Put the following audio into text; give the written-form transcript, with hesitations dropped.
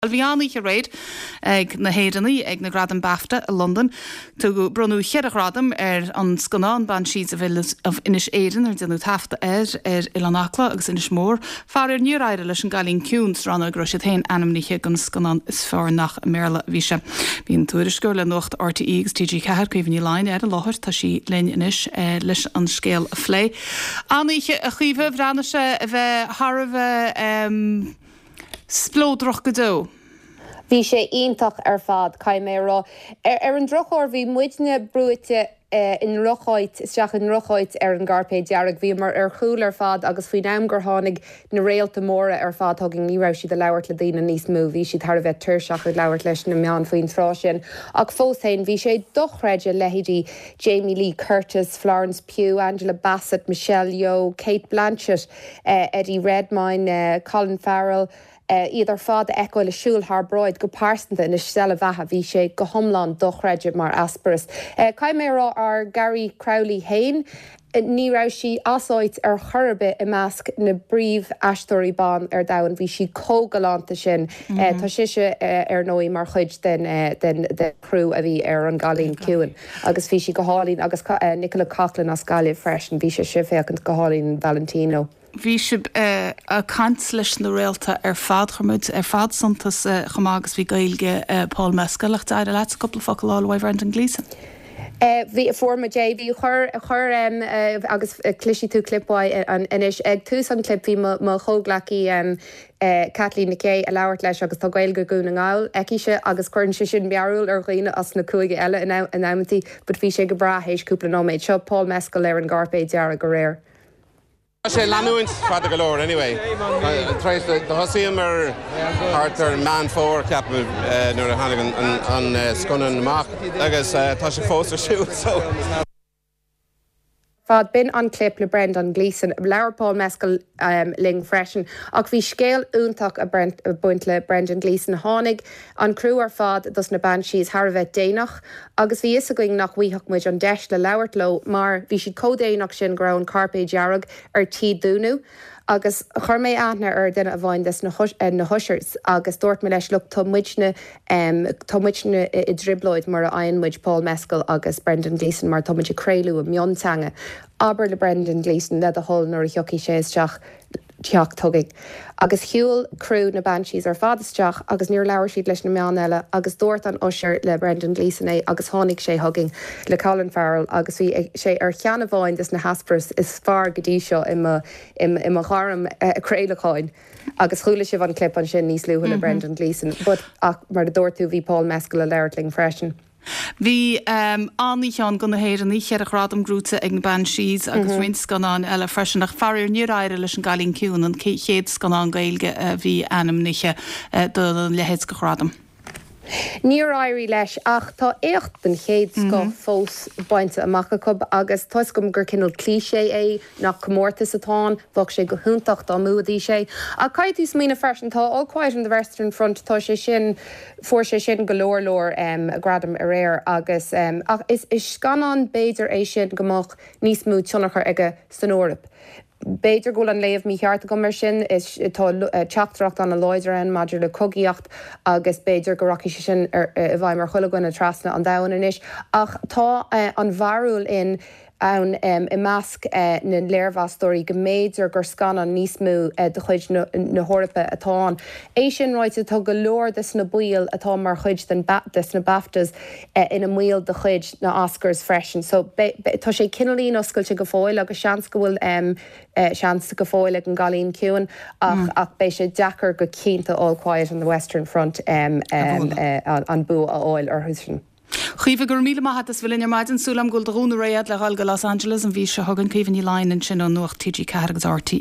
Bhí an-oíche aréir ag na hÉireannaigh ag na Gradaim Bafta i Londain. Tugadh, bronnadh cheithre ghradam ar an scannán Banshees of Inis Éireann ar déanadh taifeadadh air ar Oileán Acla agus Inis Mór. Faraor níor éirigh leis An gCailín Ciúin sa rannóg a raibh siad féin ainmnithe don scannán is fearr nach i mBéarla a bhí sé. Bhí an tuairisceoir le Nuacht RTÉ agus TG4, Caoimhe Ní Laighin, ar an láthair. Tá sí linn anois leis an scéal a phlé. An-oíche a Chaoimhe, bhreathnaigh sé a bheith thar a bheith. Spleodrach go deo. Bhí sé iontach ar fad, caithfidh mé a rá. Ar an drochuair, bhí muidne brúite i ndrocháit, isteach i ndrocháit ar an gcairpéad dearg. Bhíomar ar chúl ar fad agus faoin am gur tháinig na réalta móra ar fad chugainn, ní raibh siad ag labhairt le daoine níos mó. Bhí siad thar a bheith tuirseach ag labhairt leis na meáin faoin tráth sin. Ach fós féin, bhí sé dochreidte, leithéidí Jamie Lee Curtis, Florence Pugh, Angela Bassett, Michelle Yeoh, Cate Blanchett, Eddie Redmayne, Colin Farrell, iad ar fad a fheiceáil ag siúl thar bráid go pearsanta ina steillebheatha, bhí sé go hiomlán dochreidte mar eispéireas. Caithfidh mé a rá, ár Carrie Crowley féin, ní raibh sí as áit ar chor ar bith i measc na bpríomh-aisteoirí ban ar domhan, bhí sí chomh galánta sin. Tá sise, ar ndóigh, mar chuid den chriú a bhí ar An gCailín Ciúin. Agus bhí sí go hálainn agus Nicola Coughlan as Gaillimh freisin, bhí sise ag féachaint go hálainn in Valentino. Bhí sibh ag caint leis na réalta ar fad, chuir muid ar fad suntas chomh maith agus bhí Gaeilge Paul Mescal ach d'éirigh leatsa cúpla focal a fháil uaidh Brendan Gleeson. Bhí, fuair muid é, bhí, chuir, chuir agus cloisfidh tú clip uaidh anois. Ag tús an clip bhí mo chomhghleacaí Caitlín Nic Aodha ag labhairt leis agus tá Gaeilge Dhún na nGall aicise agus cuireann sé sin mearbhall ar dhaoine as na cúige eile in amantaí but bhí sé go breá théis cúpla nóiméad. Seo Paul Mescal ar an gcairpéad dearg aréir. Tá sé ag leanúint fada go leor anyway. Tar éis do thosaíomar thart ar Meán Fómhair ceapaim nuair a tháinig an scannán amach agus tá sé fós ar siúl so. fad. B'in an clip le Brendan Gleeson. Labhair Paul Mescal linn freisin. Ach bhí scéal iontach ag baint le Brendan Gleeson. Tháinig an criú ar fad dos na Banshees thar a bheith déanach agus bhí fhios againn nach bhfaighfeadh muid an deis le labhairt leo mar bhí siad chomh déanach sin go raibh an cairpéad dearg ar tí dúnadh. Agus chuir mé aithne ar duine amháin des na na hushers agus dúirt mé leis look tá muidne tá muidne i dtrioblóid mura fhaigheann muid Paul Mescal agus Brendan Gleeson mar tá muid ag craoladh i mionteanga. Abair le Brendan Gleeson le do thoil nuair a thiocfaidh sé isteach teacht chugainn. Agus shiúil criú na Banshees ar fad isteach agus níor labhair siad leis na meáin eile agus dúirt an usher le Brendan Gleeson é agus tháinig sé chugainn le Colin Farrell agus bhí sé ar cheann amháin des na heispéiris is fearr go dtí seo i mo i mo ghairm craolacháin. Agus chuala sibh an clip ansin níos luaithe le Brendan Gleeson but ach mar a dúirt tú bhí Paul Mescal ag labhairt linn freisin. Bhí an-oíche ann do na hÉireannaigh, cheithre ghradam gnóite ag na Banshees agus roinnt scannáin eile freisin ach faraor níor éirigh leis An gCailín Ciúin, an chéad scannán Gaeilge a bhí ainmnithe do leithéid de ghradam. Níor éirigh leis ach tá éacht den chéad scoth fós bainte amach acu agus tá 'fhios agam gur cineál cliché é nach comórtas atá ann, bheadh sé go hiontach dá mbuafaidís é. Ach caithfidh tú smaoineamh freisin, tá All Quiet on the Western Front, tá sé sin, fuair sé sin go leor leor gradam aréir agus ach is scannán b'fhéidir é sin go mbeadh níos mó tionchar aige san Eoraip. B'fhéidir go bhfuil an léamh mícheart agam ar sin, is tá teachtaireacht an-láidir ann maidir le cogaíocht agus b'fhéidir go rachaidh sé sin i bhfeidhm ar chuile dhuine trasna an domhain anois. Ach tá an bharúil in ann i measc na léirmheastóirí go mb'fhéidir gur scannán níos mó de chuid na hEorpa atá ann. É sin ráite, tá go leor de na baill atá mar chuid den des na BAFTAs ina mbaill de chuid na Oscars freisin. So tá sé cineáilín oscailte go fóill agus seans go bhfuil seans go fóill ag an gCailín Ciúin ach ach beidh sé deacair go cinnte All Quiet on the Western Front an bua a fháil orthu sin. Caoimhe, go raibh míle maith agat as bheith linn ar maidin. Súil agam go bhfuil do ghúna réidh agat le dhul go Los Angeles an mhí seo chugainn. Caoimhe Ní Laighin ansin ó Nuacht TG4 agus RTÉ.